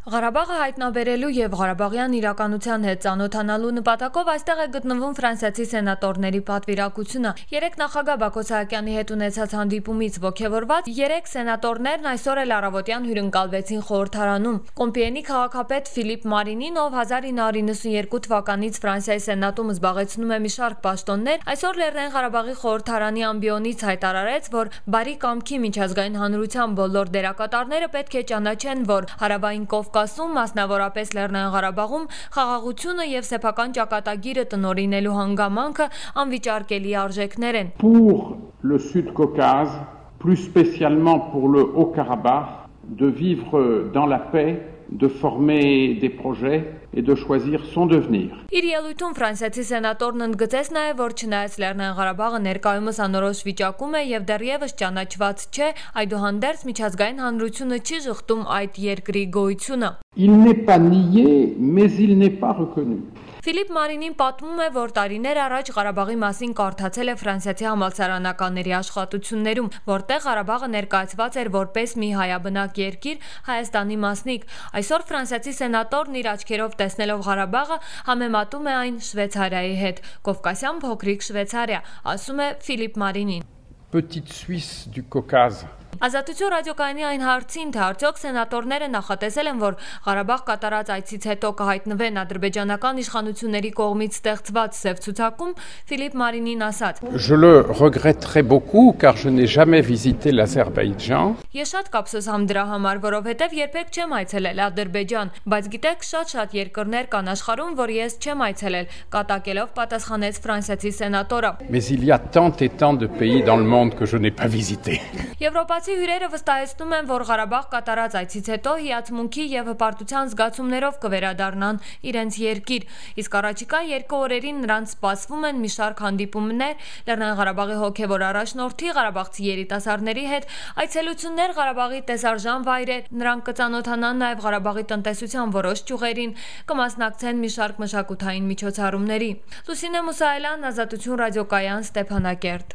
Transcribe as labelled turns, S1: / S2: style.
S1: Ղարաբաղը հայտնաբերելու և Ղարաբաղյան իրականության հետ ծանոթանալու նպատակով այստեղ է գտնվում ֆրանսիացի սենատորների պատվիրակությունը։ Երեկ նախագահ Բակո Սահակյանի հետ ունեցած հանդիպումից ոգևորված 3 սենատորներն այսօր էլ առավոտյան հյուրընկալվեցին խորհրդարանում։ Կոմպիենի քաղաքապետ Ֆիլիպ Մարինին, ով 1992 թվականից Ֆրանսիայի սենատում զբաղեցնում է մի շարք պաշտոններ, այսօր Լեռնային Ղարաբաղի խորհրդարանի ամբիոնից հայտարարեց, որ բարի կամքի միջազգային հանրության բոլոր դերակատարները պետք է ճանաչեն, որ հարավային Կովկասում, մասնավորապես Լեռնային Ղարաբաղում, խաղաղությունը և սեփական ճակատագիրը տնօրինելու հանգամանքը անվիճարկելի արժեքներ են։
S2: Pour le Sud-Caucase, plus spécialement pour le Haut-Karabakh, de vivre dans la paix, de former des projets et de choisir son devenir.
S1: Իր ելույթում ֆրանսիացի սենատորն ընդգծեց նաև, որ չնայած Լեռնային Ղարաբաղը ներկայումս անորոշ վիճակում է և դեռևս ճանաչված չէ, այդուհանդերձ միջազգային հանրությունը չի ժխտում այդ երկրի գոյությունը։
S2: Il n'est pas nié, mais il n'est pas reconnu.
S1: Ֆիլիպ Մարինին պատմում է, որ տարիներ առաջ Ղարաբաղի մասին կարդացել է ֆրանսիացի համալսարանականների աշխատություններում, որտեղ Ղարաբաղը ներկայացված էր որպես մի հայաբնակ երկիր, Հայաստանի մասնիկ։ Այսօր ֆրանսիացի սենատորն իր աչքերով տեսնելով Ղարաբաղը համեմատում է այն Շվեյցարիայի հետ։ Կովկասյան փոքրիկ Շվեյցարիա, ասում է Ֆիլիպ Մարինին։
S2: Petite Suisse du Caucase.
S1: Ազատություն ռադիոկայանի այն հարցին, թե արդյոք սենատորները նախատեսել են, որ Ղարաբաղ կատարած այցից հետո կհայտնվեն ադրբեջանական իշխանությունների կողմից ստեղծված սև ցուցակում, Ֆիլիպ Մարինին ասաց.
S2: Je le regretterai beaucoup car je n'ai jamais visité l'Azerbaïdjan.
S1: Ես շատ կապսոսամ դրա համար, որովհետև երբեք չեմ այցելել Ադրբեջան, բայց գիտեք, շատ երկրներ կան աշխարհում, որ ես չեմ այցելել, կատակելով պատասխանեց ֆրանսիացի սենատորը։
S2: Mais il y a tant et tant de pays dans le monde que je n'ai pas visité.
S1: Եվրոպացի հյուրերը վստահեցնում են, որ Ղարաբաղ կատարած այցից հետո հիացմունքի և հպարտության զգացումներով կվերադառնան իրենց երկիր, իսկ առաջիկա 2 օրերին նրանց սպասվում են մի շարք հանդիպումներ Լեռնային Ղարաբաղի հոգևոր առաջնորդի, ղարաբաղցի երիտասարդների հետ, այցելություններ Ղարաբաղի տեսարժան վայրեր, նրանք կծանոթանան նաև Ղարաբաղի տնտեսության որոշ ճյուղերին, կմասնակցեն մի շարք մշակութային միջոցառումների։ Լուսինե Մուսայելյան, Ազատություն ռադիոկայան, Ստեփանակերտ։